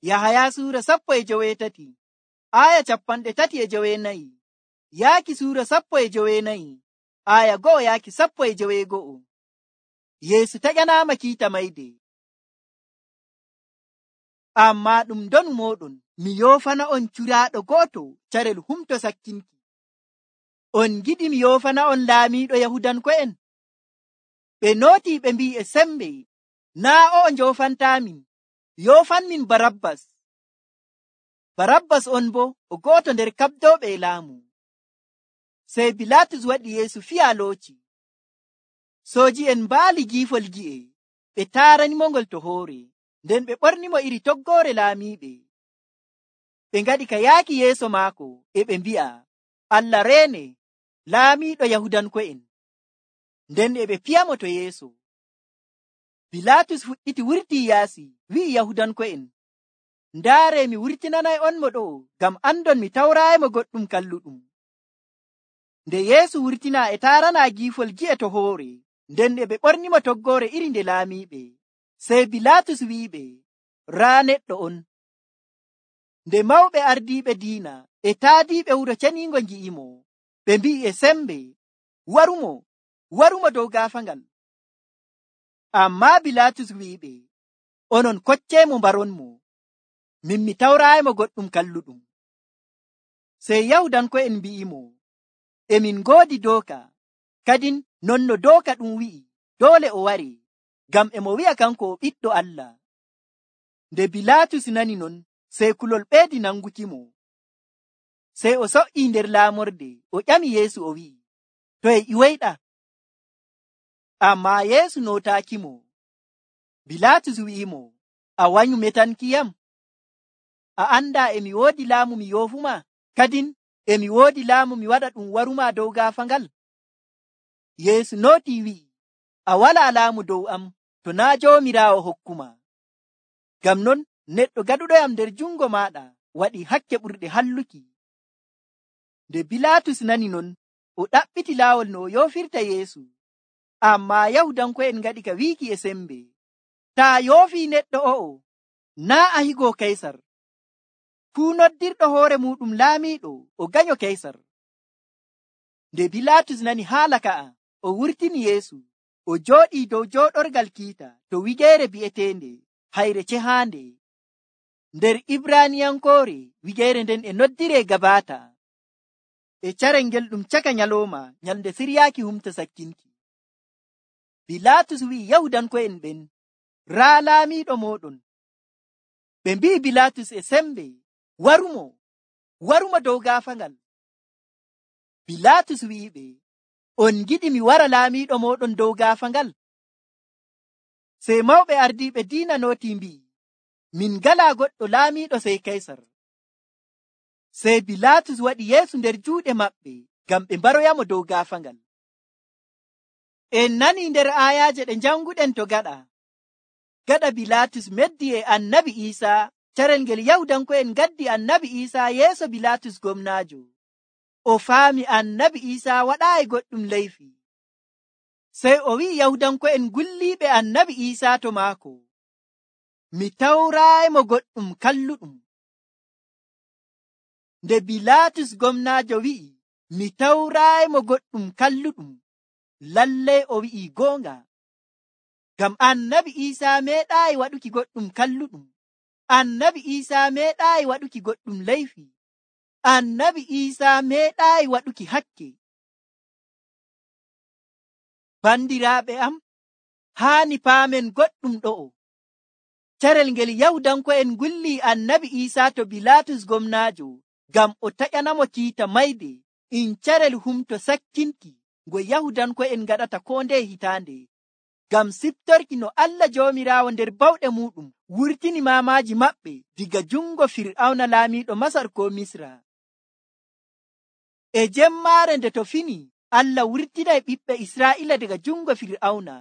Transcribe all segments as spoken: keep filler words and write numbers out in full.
Yahaya suura sappo e joweetati aya capanɗe tati e joweenayi yaaki suura sappo e joweenayi aya go'o yaaki sappo e joweego'o. Yeesu taƴanaama kiita mayde. Ammaa ɗum ndonu mooɗon mi yoofana on curaaɗo gooto carel humto sakkinki. On giɗi mi yoofana on laamiiɗo Yahudanko'en? Ɓe nootii ɓe mbi'i e sembe, naa o'o njoofantaamin, yoofanmin Barabbas. Barabbas on bo o gooto nder kaɓdooɓe e laamu. Sey Bilaatus waɗi Yeesu fiyaalooci. Sooji'en mbaali giifol gi'e, ɓe taaranimo ngol to hoore, nden ɓe ɓornimo iri toggoore laamiiɓe. Ɓe ngaɗi ka yaaki yeeso maako, e ɓe mbi'a, Allah reene, laamiiɗo Yahudanko'en. Nden e ɓe piyamo to yeeso. Bilaatus fuɗɗiti wurtii yaasi, wi'i Yahudanko'en, ndaare mi wurtinanay on mo ɗo'o, ngam andon mi tawraayimo goɗɗum kalluɗum. Nde Yeesu wurtinaa e taaranaa giifol gi'e to hoore, nden e ɓe ɓornimo toggoore iri nde laamiiɓe. Sey Bilaatus wi'iɓe, raa neɗɗo on. Nde mawɓe ardiiɓe diina e taadiiɓe wuro ceniingo ngi'imo, ɓe mbi'i e sembe, warumo, warumo dow gaafaangal. Ammaa Bilaatus wi'iɓe, onon kocceemo mbaronmo, min mi tawraayimo goɗɗum kalluɗum. Sey Yahudanko'en mbi'imo, emin ngoodi dooka, kadin non no dooka ɗum wi'i, doole o ware, ngam e mo wi'a kanko o ɓiɗɗo Allah. Nde Bilaatus nani non, sey kulol ɓeydi nangukimo. Sey o so'ii nder laamorde, o ƴami Yeesu o wi'i, to e ƴiwoyɗa? Ammaa Yeesu nootaakimo. Bilaatus wi'imo, a wanyu metankiyam? A andaa e mi woodi laamu mi yoofuma, kadin e mi woodi laamu mi waɗa ɗum waruma dow gaafaangal? Yeesu nootii wi'i, a walaa laamu dow am to naa Joomiraawo hokkuma. Ngam non neɗɗo gaɗuɗoyam nder jungo maaɗa waɗi hakke ɓurɗe halluki. Nde Bilaatus nani non, o ɗaɓɓiti laawol no o yoofirta Yeesu. Ammaa Yahudanko'en ngaɗi ka wiiki e sembe, taa yoofii neɗɗo o'o, naa a higoo Kaysar. Fuu noddirɗo hoore muɗum laamiiɗo o ganyo Kaysar. Nde Bilaatus nani haala ka'a, o wurtini Yeesu, o jooɗii dow jooɗorgal kiita to wigeere bi'eteende Hayre Cehaande. Nder Ibraaniyankoore wigeere nden e noddiree Gabaata. E carel ngel ɗum caka nyalooma nyalnde siryaaki humto sakkinki. Bilaatus wi'i Yahudanko'en ɓen, raa laamiiɗo mooɗon. Ɓe mbi'i Bilaatus e sembe, warumo, warumo dow gaafaangal. Bilaatus wi'iɓe, on giɗi mi wara laamiiɗo mooɗon dow gaafaangal? Sey mawɓe ardiiɓe diina nootii mbi'i, min ngalaa goɗɗo laamiiɗo sey Kaysar. Sey Bilaatus waɗi Yeesu nder juuɗe maɓɓe ngam ɓe mbaroyamo dow gaafaangal. En nanii nder aayaaje ɗe njanguɗen to gaɗa. Gaɗa Bilaatus meddi e annabi Iisaa, carel ngel Yahudanko'en ngaddi annabi Iisaa yeeso Bilaatus gomnaajo. O faami annabi Iisaa waɗaayi goɗɗum leyfi. Sey o wi'i Yahudanko'en gulliiɓe annabi Iisaa to maako, mi tawraayimo goɗɗum kalluɗum. Nde Bilaatus gomnaajo wi'i, mi tawraayimo goɗɗum kalluɗum, lallay o wi'i goonga. Ngam annabi Iisaa meeɗaayi waɗuki goɗɗum kalluɗum. Annabi Iisaa meeɗaayi waɗuki goɗɗum leyfi. Annabi Iisaa meeɗaayi waɗuki hakke. Bandiraaɓe am, haani paamen goɗɗum ɗo'o. Carel ngel Yahudanko'en gullii annabi Iisaa to Bilaatus gomnaajo ngam o taƴanamo kiita mayde, in carel humto sakkinki ngo Yahudanko'en ngaɗata koo ndeye hitaande, ngam siftorki no Allah Joomiraawo nder bawɗe muɗum wurtini maamaaji maɓɓe diga jungo Fir'awna laamiiɗo Masar ko Misra. E jemmaare nde to fini, Allah wurtinay ɓiɓɓe Israa'iila daga jungo Fir'awna.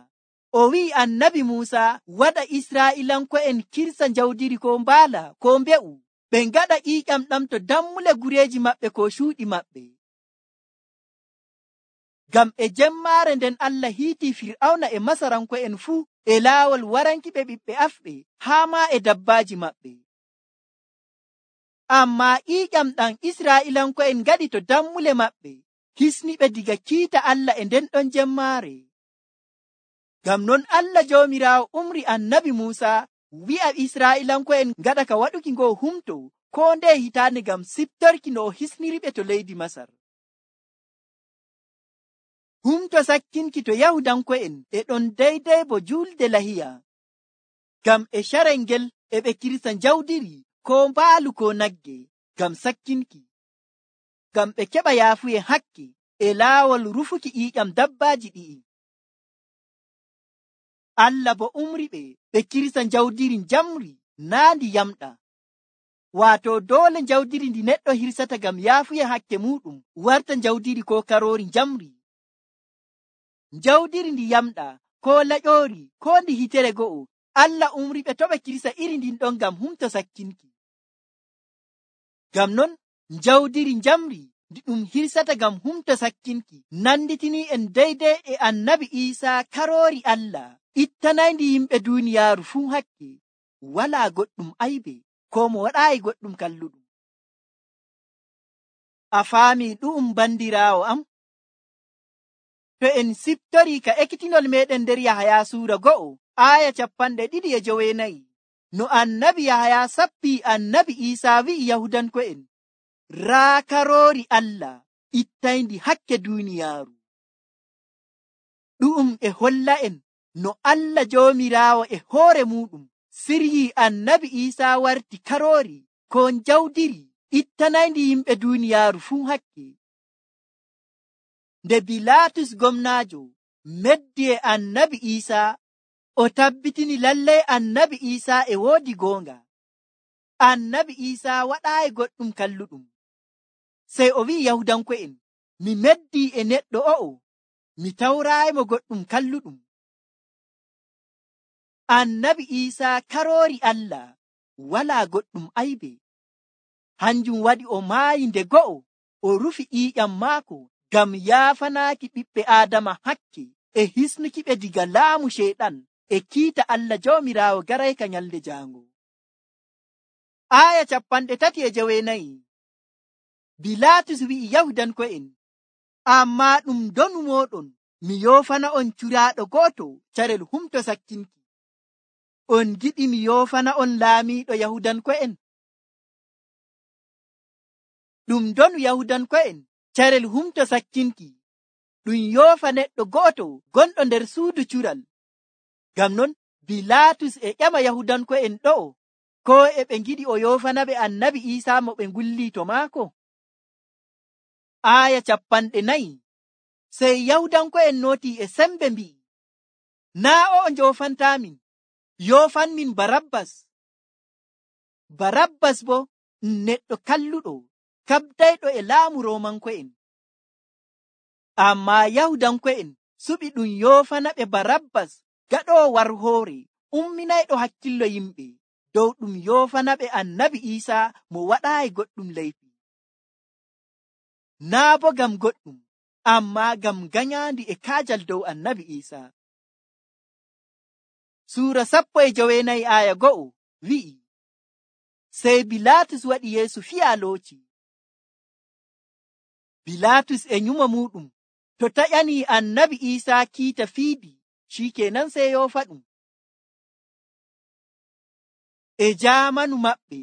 O wi'i annabi Muusa waɗa Israa'iilanko'en kirsa njawdiri ko mbaala ko mbe'u, ɓe ngaɗa ƴiiƴam ɗam to dammule gureeji maɓɓe ko cuuɗi maɓɓe. Ngam e jemmaare nden Allah hiitii Fir'awna e Masaranko'en fuu e laawol waranki ɓe ɓiɓɓe afɓe haa maa e dabbaaji maɓɓe. Ammaa ƴiiƴam ɗam Israa'iilanko'en ngaɗi to dammule maɓɓe, hisniɓe diga kiita Allah e nden ɗon jemmaare. Ngam non Allah Joomiraawo umri annabi Muusa wi'a Israa'iilanko'en ngaɗa ka waɗuki ngoo humto koo ndeye hitaande ngam siftorki no o hisniriɓe to leydi Masar. Humto sakkinki to Yahudanko'en e ɗon daydey bo julde lahiya. Ngam e carel ngel e ɓe kirsa jawdiri koo mbaalu koo nagge ngam sakkinki. Ngam ɓe keɓa yaafuye hakke e laawol rufuki ƴiiƴam dabbaaji ɗi'i. Allah bo umri ɓe ɓe kirsa jawdiri njamri naa ndi yamɗa. Waato doole jawdiri ndi neɗɗo hirsata ngam yaafuye hakke muɗum warta jawdiri koo karoori njamri. Jawdiri ndi yamɗa koo laƴoori koo ndi hitere go'o, Allah umri ɓe to ɓe kirsa iri ndin ɗon ngam humto sakkinki. Ngam non jawdiri njamri ndi ɗum hirsata ngam humto sakkinki nanditinii en daydey e annabi Iisaa karoori Allah ittanayndi yimɓe duuniyaaru fuu hakke, walaa goɗɗum aybe koo mo waɗaayi goɗɗum kalluɗum. A faamii ɗu'um bandiraawo am? To en siftorii ka ekkitinol meɗen nder Yahaya suura go'o aaya capanɗe ɗiɗi e joweenayi, no annabi Yahaya sappii annabi Iisaa wi'i Yahudanko'en, raa karoori Allah ittayndi hakke duuniyaaru. Ɗu'um e holla en no Allah Joomiraawo e hoore muɗum siryii annabi Iisaa warti karoori koo jawdiri ittanayndi yimɓe duuniyaaru fuu hakke. Nde Bilaatus gomnaajo meddi e annabi Iisaa, o tabbitini lallay annabi Iisaa e woodi goonga. Annabi Iisaa waɗaayi goɗɗum kalluɗum. Sey o wi'i Yahudanko'en, mi meddii e neɗɗo o'o, mi tawraayimo goɗɗum kalluɗum. Annabi Iisaa karoori Allah, walaa goɗɗum aybe. Hanjum waɗi o maayi nde go'o, o rufi ƴiiƴam maako ngam yaafanaaki ɓiɓɓe Aadama hakke e hisnuki ɓe diga laamu Ceyɗan e kiita Allah Joomiraawo garayka nyalde jaango. Aaya capanɗe tati e joweenayi. Bilaatus wi'i Yahudanko'en, ammaa ɗum donu mooɗon mi yoofana on curaaɗo gooto carel humto sakkinki. On giɗi mi yoofana on laamiiɗo Yahudanko'en? Ɗum donu Yahudanko'en carel humto sakkinki, ɗum yoofa neɗɗo gooto gonɗo nder suudu cural. Ngam non Bilaatus e ƴama Yahudanko'en ɗo'o, koo e ɓe ngiɗi o yoofana ɓe annabi Iisaa mo ɓe ngullii to maako. Aaya capanɗe nayi. Sey Yahudanko'en nootii e sembe mbi'i, naa o njoofantaamin, yoofanmin Barabbas. Barabbas bo ɗum neɗɗo kalluɗo kabdayɗo e laamu Roomanko'en. Ammaa Yahudanko'en suɓi ɗum yoofana ɓe Barabbas gaɗoowo warhoore umminayɗo hakkillo yimɓe dow ɗum yoofana ɓe annabi Iisaa mo waɗaayi goɗɗum leyfi. Naa bo ngam goɗɗum, ammaa ngam ganyaandi e kaajal dow annabi Iisaa. Suura sappo e joweenayi aaya go'o wi'i, sey Bilaatus waɗi Yeesu fiyaalooci. Bilaatus e nyumo muɗum to taƴanii annabi Iisaa kiita fiidi, shikenan sey yoofa ɗum. E jaamanu maɓɓe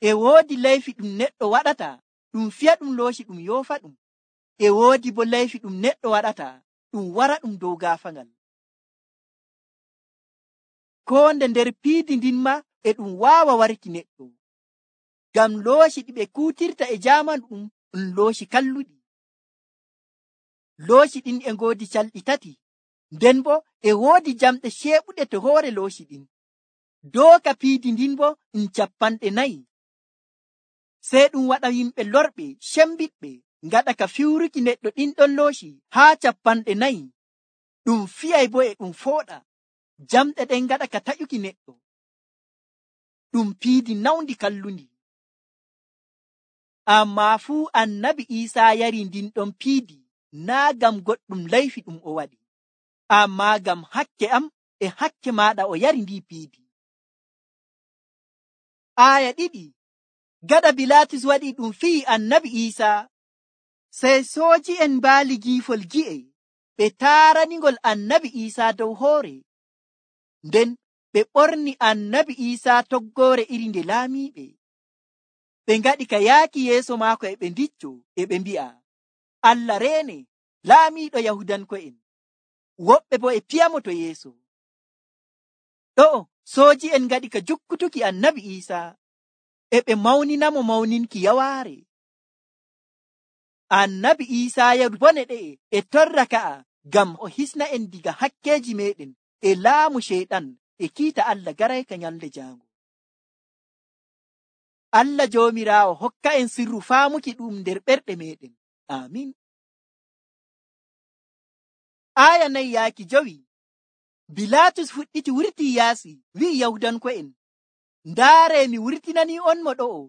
e woodi leyfi ɗum neɗɗo waɗata ɗum fiya ɗum looci ɗum yoofa ɗum. E woodi bo leyfi ɗum neɗɗo waɗata ɗum wara ɗum dow gaafaŋal. Koo nde nder piidi ndin ma e ɗum waawa warki neɗɗo. Ngam looci ɗi ɓe kuutirta e jaamanu ɗum ɗum looci kalluɗi. Looci ɗin e ngoodi calɗi tati, nden bo e woodi jamɗe ceeɓuɗe to hoore looci ɗin. Dooka piidi ndin bo ɗum capanɗe nayi. Sey ɗum waɗa yimɓe lorɓe cembiɗɓe ngaɗa ka fiwruki neɗɗo ɗin ɗon looci haa capanɗe nayi. Ɗum fiyay bo e ɗum fooɗa. Jamɗe ɗen ngaɗa ka taƴuki neɗɗo. Ɗum piidi nawndi kallundi. Ammaa fuu annabi Iisaa yari ndin ɗon piidi naa ngam goɗɗum leyfi ɗum o waɗi, ammaa ngam hakke am e hakke maaɗa o yari ndi piidi. Aaya ɗiɗi. Gaɗa Bilaatus waɗi ɗum fiyi annabi Iisaa, sey sooji'en mbaali giifol gi'e ɓe taaraningol annabi Iisaa dow hoore. Nden ɓe ɓorni annabi Iisaa toggoore iri nde laamiiɓe. Ɓe ngaɗi ka yaaki yeeso maako e ɓe ndicco e ɓe mbi'a, Allah reene, laamiiɗo Yahudanko'en. Woɓɓe bo e piyamo to yeeso. Ɗo'o sooji'en ngaɗi ka jukkutuki annabi Iisaa, e ɓe mawninamo mawninki yawaare. Annabi Iisaa yeru bone ɗe'e e torra ka'a ngam o hisna en diga hakkeeji meɗen e laamu Ceyɗan e kiita Allah garayka nyalde jaango. Allah Joomiraawo hokka en sirru faamuki ɗum nder ɓerɗe meɗen. Amin. Aya nayi yaaki jowi. Bilaatus fuɗɗiti wurtii yaasi, wi'i Yahudanko'en, ndaare mi wurtinanii on mo ɗo'o,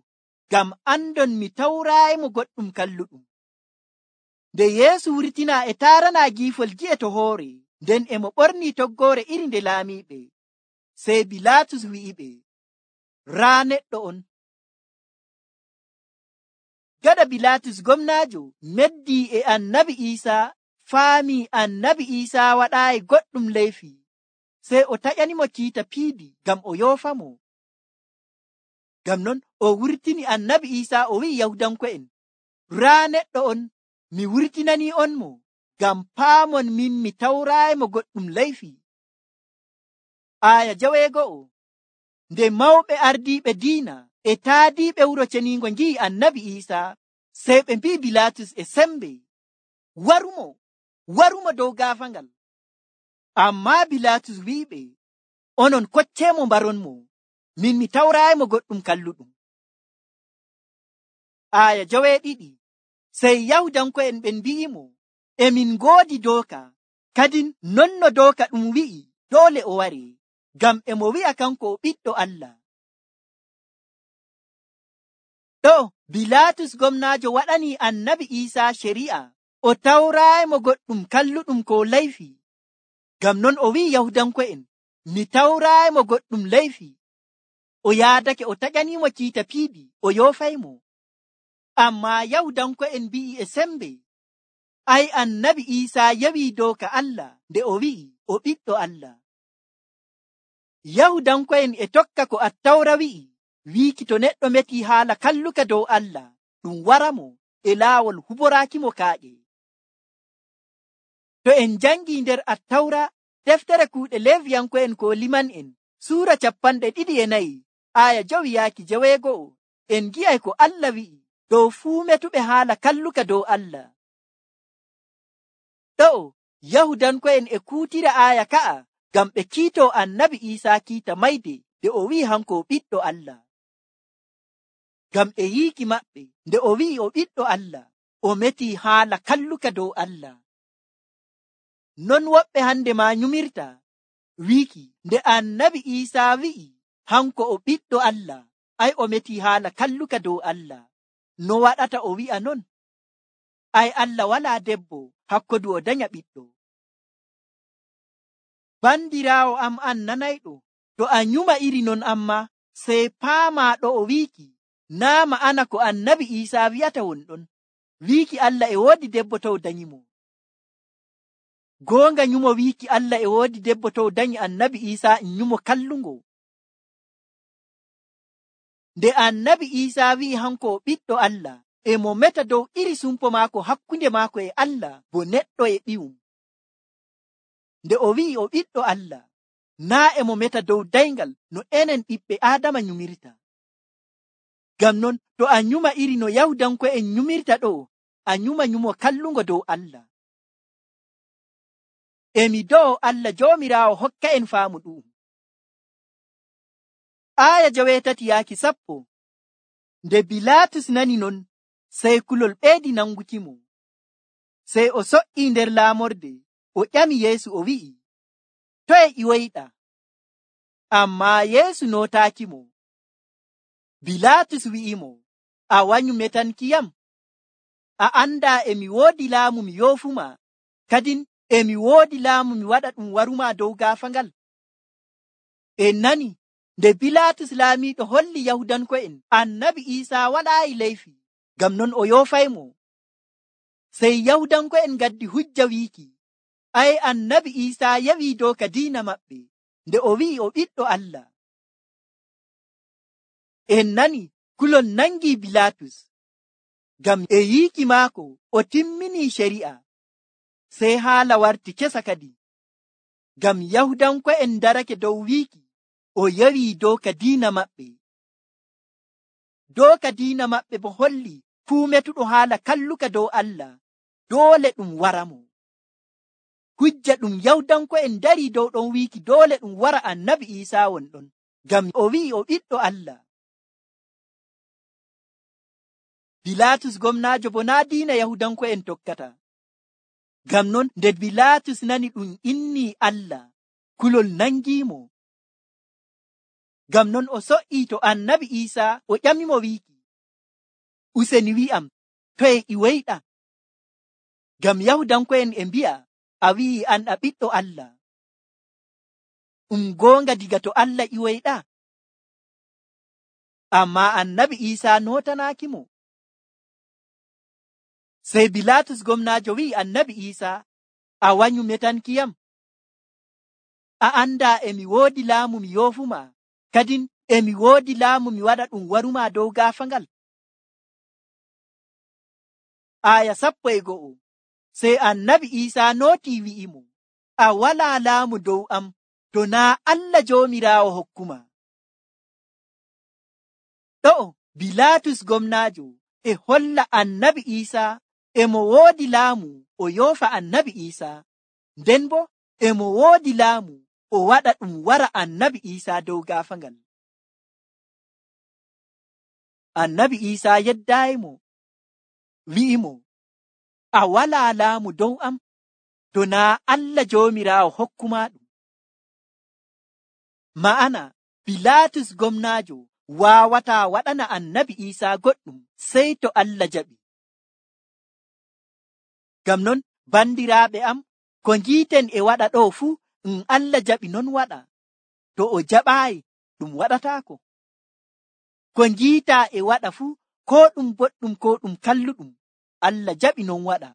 ngam andon mi tawraayimo goɗɗum kalluɗum. Nde Yeesu wurtinaa e taaranaa giifol gi'e to hoore, nden e mo ɓornii toggoore iri nde laamiiɓe. Sey Bilaatus wi'iɓe, raa neɗɗo on. Gaɗa Bilaatus gomnaajo meddii e annabi Iisaa, faamii annabi Iisaa waɗaayi goɗɗum leyfi, sey o taƴanimo kiita piidi ngam o yoofamo. Ngam non o wurtini annabi Iisaa o wi'i Yahudanko'en, raa neɗɗo on, mi wurtinanii on mo, ngam paamon min mi tawraayimo goɗɗum leyfi. Aya jaweego'o. Nde mawɓe ardiiɓe diina e taadiiɓe wuro ceniingo ngi'i annabi Iisaa, sey ɓe mbi'i Bilaatus e sembe, warumo, warumo dow gaafangal. Ammaa Bilaatus wi'iɓe, onon kocceemo mbaronmo, min mi tawraayimo goɗɗum kalluɗum. Aya joweeɗiɗi. Sey Yahudanko'en ɓen mbi'imo, e min ngoodi dooka, kadin non no dooka ɗum wi'i doole o ware, ngam e mo wi'a kanko o ɓiɗɗo Allah. Ɗo Bilaatus gomnaajo waɗanii annabi Iisaa shari'a, o tawraayimo goɗɗum kalluɗum ko leyfi. Ngam non o wi'i Yahudanko'en, mi tawraayimo goɗɗum leyfi. O yaadake o taƴaniimo kiita piidi o yoofaymo. Ammaa Yahudanko'en mbi'i e sembe, ay annabi Iisaa yewii dooka Allah nde o wi'i o ɓiɗɗo Allah. Yahudanko'en e tokka ko Attawra wi'i, wiiki to neɗɗo metii haala kalluka dow Allah, ɗum waramo e laawol huboraakimo kaaƴe. To en jangii nder Attawra, deftere kuuɗe Leewiyanko'en ko liman'en, suura cappanɗe ɗiɗi e nayi, aya jowi yaaki jeweego'o, en gi'ay ko Allah wi'i dow fuu metuɓe haala kalluka dow Allah. Ɗo'o Yahudanko'en e kuutira aya ka'a ngam ɓe kiitoo annabi Iisaa kiita mayde nde o wi'i hanko o ɓiɗɗo Allah. Ngam e yiiki maɓɓe nde o wi'i o ɓiɗɗo Allah, o metii haala kalluka dow Allah. Non woɓɓe hande ma nyumirta wiiki nde annabi Iisaa wi'i hanko o ɓiɗɗo Allah, ay o metii haala kalluka dow Allah. No waɗata o wi'a non? Ay Allah walaa debbo hakkodu o danya ɓiɗɗo. Bandiraawo am an nanayɗo, to a nyuma iri non amma, sey paamaa ɗo o wiiki, naa ma'ana ko annabi Iisaa wi'ata wonɗon, wiiki Allah e woodi debbo tow danyimo. Goonga nyumo wiiki Allah e woodi debbo tow danyi annabi Iisaa en nyumo kallungo. Nde annabi Iisaa wi'i hanko o ɓiɗɗo Allah, e mo meta dow iri sumpo maako hakkunde maako e Allah bo neɗɗo e ɓiwum. Nde o wi'i o ɓiɗɗo Allah, naa e mo meta dow dayngal no enen ɓiɓɓe Aadama nyumirta. Ngam non to a nyuma iri no Yahudanko'en nyumirta ɗo, a nyuma nyumo kallungo dow Allah. Emi do'o Allah Joomiraawo hokka en faamu ɗum. Aya jawetati yaaki sappo. Nde Bilaatus nani non, sey kulol ɓeedi nangukimo. Sey o so'ii nder laamorde, o ƴami Yeesu o wi'i, toye ƴiwoyɗa? Ammaa Yeesu nootaakimo. Bilaatus wi'imo, a wanyu metankiyam? A andaa e mi woodi laamu mi yoofuma, kadin e mi woodi laamu mi waɗa ɗum waruma dow gaafangal. En nani Nde Bilaatus laamiiɗo holli Yahudanko'en annabi Iisaa waɗaayi leyfi, ngam non o yoofaymo. Sey Yahudanko'en ngaddi hujja wiiki, ay annabi Iisaa yawii dow ka diina maɓɓe nde o wi'i o ɓiɗɗo Allah. En nani kulol nangii Bilaatus, ngam e yiiki maako o timminii shari'a. Sey haala warti kesa kadi, ngam Yahudanko'en darake dow wiiki o yawii dow ka diina maɓɓe. Dow ka diina maɓɓe bo holli fuu metuɗo haala kalluka dow Allah doole ɗum waramo. Hujja ɗum Yahudanko'en darii dow ɗon wiiki doole ɗum wara annabi Iisaa won ɗon, ngam o wi'i o ɓiɗɗo Allah. Bilaatus gomnaajo bo naa diina Yahudanko'en tokkata. Ngam non nde Bilaatus nani ɗum innii Allah, kulol nangiimo. Ngam non o so'ii to annabi Iisaa o ƴamimo wiiki, useni wi'am toye iwoyɗa? Ngam Yahudanko'en e mbi'a a wi'i an a ɓiɗɗo Allah. Um goonga diga to Allah iwoyɗa? Ammaa annabi Iisaa nootanaakimo. Sey Bilaatus gomnaajo wi'i annabi Iisaa, a wanyu metankiyam? A andaa emi woodi laamu mi yoofumaa, kadin emi woodi laamu mi waɗa ɗum warumaa dow gaafangal. Aya sappo e go'o. Sey annabi Iisaa nootii wi'imo, a walaa laamu dow am to naa Allah Joomiraawo hokkuma. Ɗo'o Bilaatus gomnaajo e holla annabi Iisaa emo woodi laamu o yoofa annabi Iisaa, nden bo emo woodi laamu o waɗa ɗum wara annabi Iisaa dow gaafangal. Annabi Iisaa yeddaayimo, wi'imo, a walaa laamu dow am to naa Allah Joomiraawo hokkumaa ɗum. Ma'ana Bilaatus gomnaajo waawataa waɗana annabi Iisaa goɗɗum sey to Allah jaɓi. Ngam non bandiraaɓe am, ko ngiiten e waɗa ɗo fuu um Allah jaɓi non waɗa. To o jaɓaayi ɗum waɗataako. Ko ngiitaa e waɗa fuu, ko ɗum boɗɗum ko ɗum kalluɗum, Allah jaɓi non waɗa.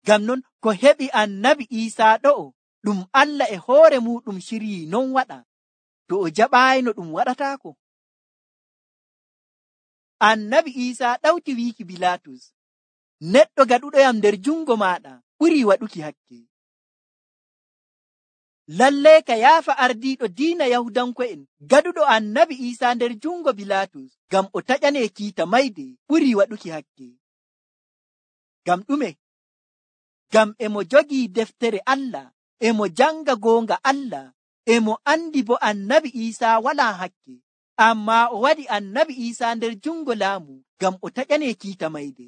Ngam non ko heɓi annabi Iisaa ɗo'o ɗum Allah e hoore muɗum shiryii non waɗa. To o jaɓaayi no ɗum waɗataako. Annabi Iisaa ɗawti wiiki Bilaatus, neɗɗo gaɗuɗoyam nder jungo maaɗa ɓurii waɗuki hakke. Lallay ka yaafa ardiiɗo diina Yahudanko'en gaɗuɗo annabi Iisaa nder jungo Bilaatus, ngam o taƴanee kiita mayde ɓurii waɗuki hakke. Ngam ɗume? Ngam emo jogii deftere Allah, emo janga goonga Allah, emo andi bo annabi Iisaa walaa hakke, ammaa o waɗi annabi Iisaa nder jungo laamu ngam o taƴanee kiita mayde.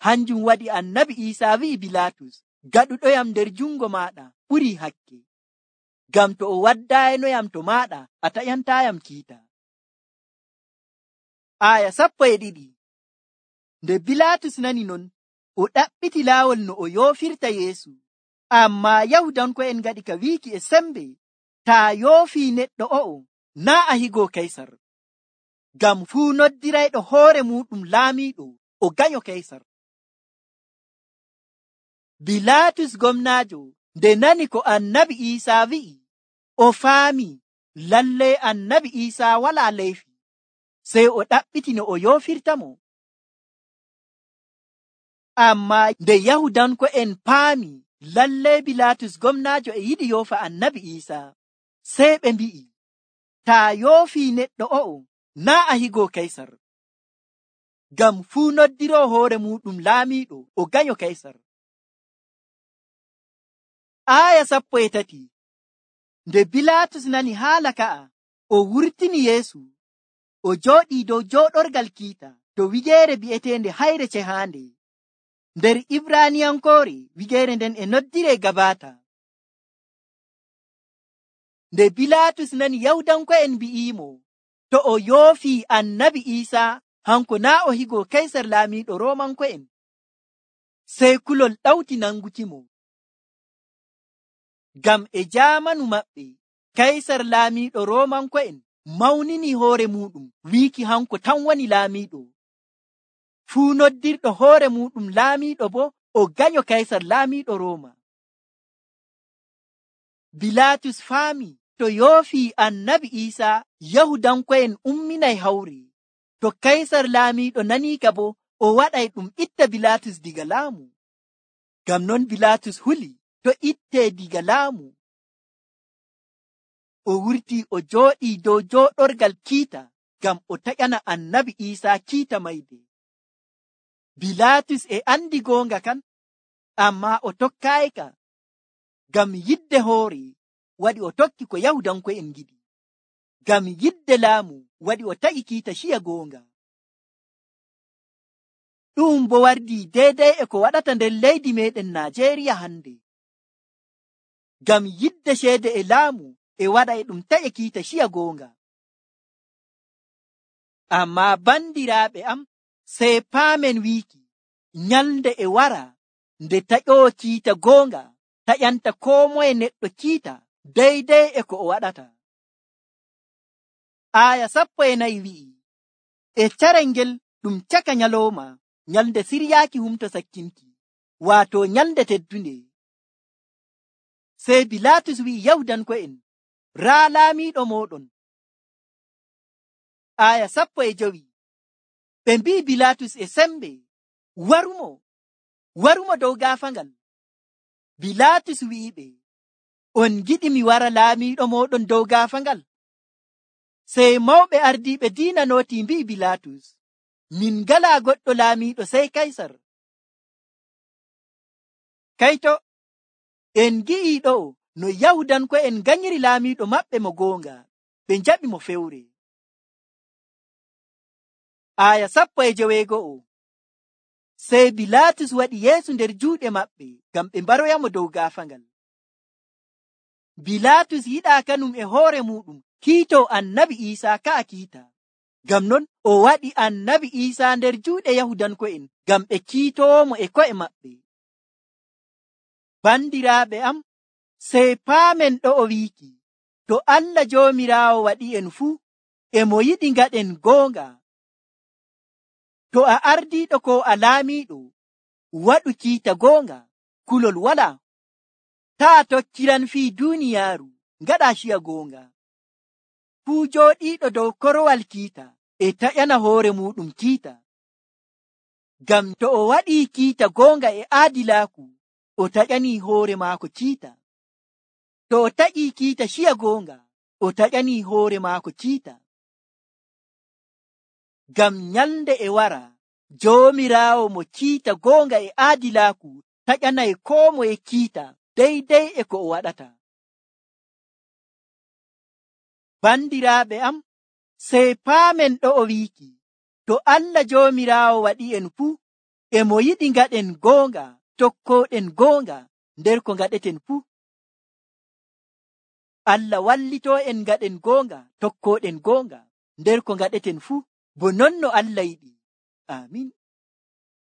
Hanjum waɗi annabi Iisaa wi'i Bilaatus, gaɗuɗoyam nder jungo maaɗa ɓurii hakke, ngam to o waddaynoyam to maaɗa a taƴantaayam kiita. Aya sappo e ɗiɗi. Nde Bilaatus nani non, o ɗaɓɓiti laawol no o yoofirta Yeesu, ammaa Yahudanko'en ngaɗi ka wiiki e sembe, taa yoofii neɗɗo o'o, naa a higoo Kaysar. Ngam fuu noddirayɗo hoore muɗum laamiiɗo o ganyo Kaysar. Bilaatus gomnaajo nde nani ko annabi Iisaa wi'i, o faami lallay annabi Iisaa walaa leyfi, sey o ɗaɓɓiti no o yoofirtamo. Ammaa nde Yahudanko'en paami lallay Bilaatus gomnaajo e yiɗi yoofa annabi Iisaa, sey ɓe mbi'i, taa yoofii neɗɗo o'o, naa a higoo Kaysar. Ngam fuu noddiroo hoore muɗum laamiiɗo o ganyo Kaysar. Aya sappo e tati. Nde Bilaatus nani haala ka'a, o wurtini Yeesu, o jooɗii dow jooɗorgal kiita to wigeere bi'eteende hayre cehaande. Nder Ibraaniyankoore wigeere nden e noddiree Gabaata. Nde Bilaatus nani Yahudanko'en mbi'iimo, to o yoofii annabi Iisaa hanko naa o higoo Kaysar laamiiɗo Roomanko'en, sey kulol ɗawti nangukimo. Ngam e jaamanu maɓɓe, Kaysar laamiiɗo Roomanko'en mawnini hoore muɗum wiiki hanko tan woni laamiiɗo. Fuu noddirɗo hoore muɗum laamiiɗo bo o ganyo Kaysar laamiiɗo Rooma. Bilaatus faami to yoofii Annabi Iisaa Yahudanko'en umminay hawre. To Kaysar laamiiɗo nanii ka bo o waɗay ɗum itta Bilaatus diga laamu. Ngam non Bilaatus huli to ittee diga laamu. O wurtii o jooɗii dow jooɗorgal kiita ngam o taƴana Annabi Iisaa kiita mayde. Bilaatus e andi goonga kan, ammaa o tokkaayika. Ngam yidde hoore waɗi o tokki ko Yahudanko'en ngiɗi. Ngam yidde laamu waɗi o taƴi kiita ciya goonga. Ɗum bo wardii deedey e ko waɗata nder leydi meɗen Naajeeriya hande. Ngam yidde ceede e laamu e waɗa e ɗum taƴa kiita ciya goonga. Ammaa bandiraaɓe am, sey paamen wiiki nyalnde e wara nde taƴoowo kiita goonga taƴanta koo moye neɗɗo kiita deydey e ko o waɗata. Aaya sappo e nayi wi'i, e carel ngel ɗum caka nyalooma, nyalnde siryaaki humto sakkinki, waato nyalnde teddunde. Sey Bilaatus wi'i Yahudanko'en, raa laamiiɗo mooɗon. Aaya sappo e jowi, ɓe mbi'i Bilaatus e sembe, warumo, warumo dow gaafangal. Bilaatus wi'iɓe, on giɗi mi wara laamiiɗo mooɗon dow gaafangal? Sey mawɓe ardiiɓe diina nootii mbi'i Bilaatus, min ngalaa goɗɗo laamiiɗo sey Kaysar. Kayto, en gi'ii ɗo'o no Yahudanko'en nganyiri laamiiɗo maɓɓe mo goonga, ɓe njaɓi mo fewre. Aaya sappo e joweego'o. Sey Bilaatus waɗi Yeesu nder juuɗe maɓɓe ngam ɓe mbaroyamo dow gaafangal. Bilaatus yiɗaa kanum e hoore muɗum kiitoo Annabi Iisaa ka'a kiita. Ngam non o waɗi Annabi Iisaa nder juuɗe Yahudanko'en ngam ɓe kiitoomo e ko'e maɓɓe. Bandiraaɓe am, sey paamen ɗo'o wiiki, to Allah Joomiraawo waɗi'en fuu, e mo yiɗi ngaɗen goonga. To a ardiiɗo ko a laamiiɗo, waɗu kiita goonga, kulol walaa. Taa tokkiran fii duuniyaaru, ngaɗaa ciya goonga. Fuu jooɗiiɗo dow korowal kiita e taƴana hoore muɗum kiita. Ngam to o waɗii kiita goonga e aadilaaku, o taƴanii hoore maako kiita. To o taƴii kiita ciya goonga, o taƴanii hoore maako kiita. Ngam nyalnde e wara, Joomiraawo mo kiita goonga e aadilaaku taƴanay koo moye kiita deydey e ko o waɗata. Bandiraaɓe am, sey paamen ɗo'o wiiki, to Allah Joomiraawo waɗi'en fuu, e mo yiɗi ngaɗen goonga, tokkooɗen goonga nder ko ngaɗeten fuu. Allah wallitoo en ngaɗen goonga, tokkooɗen goonga nder ko ngaɗeten fuu, bo non no Allah yiɗi. Aamin.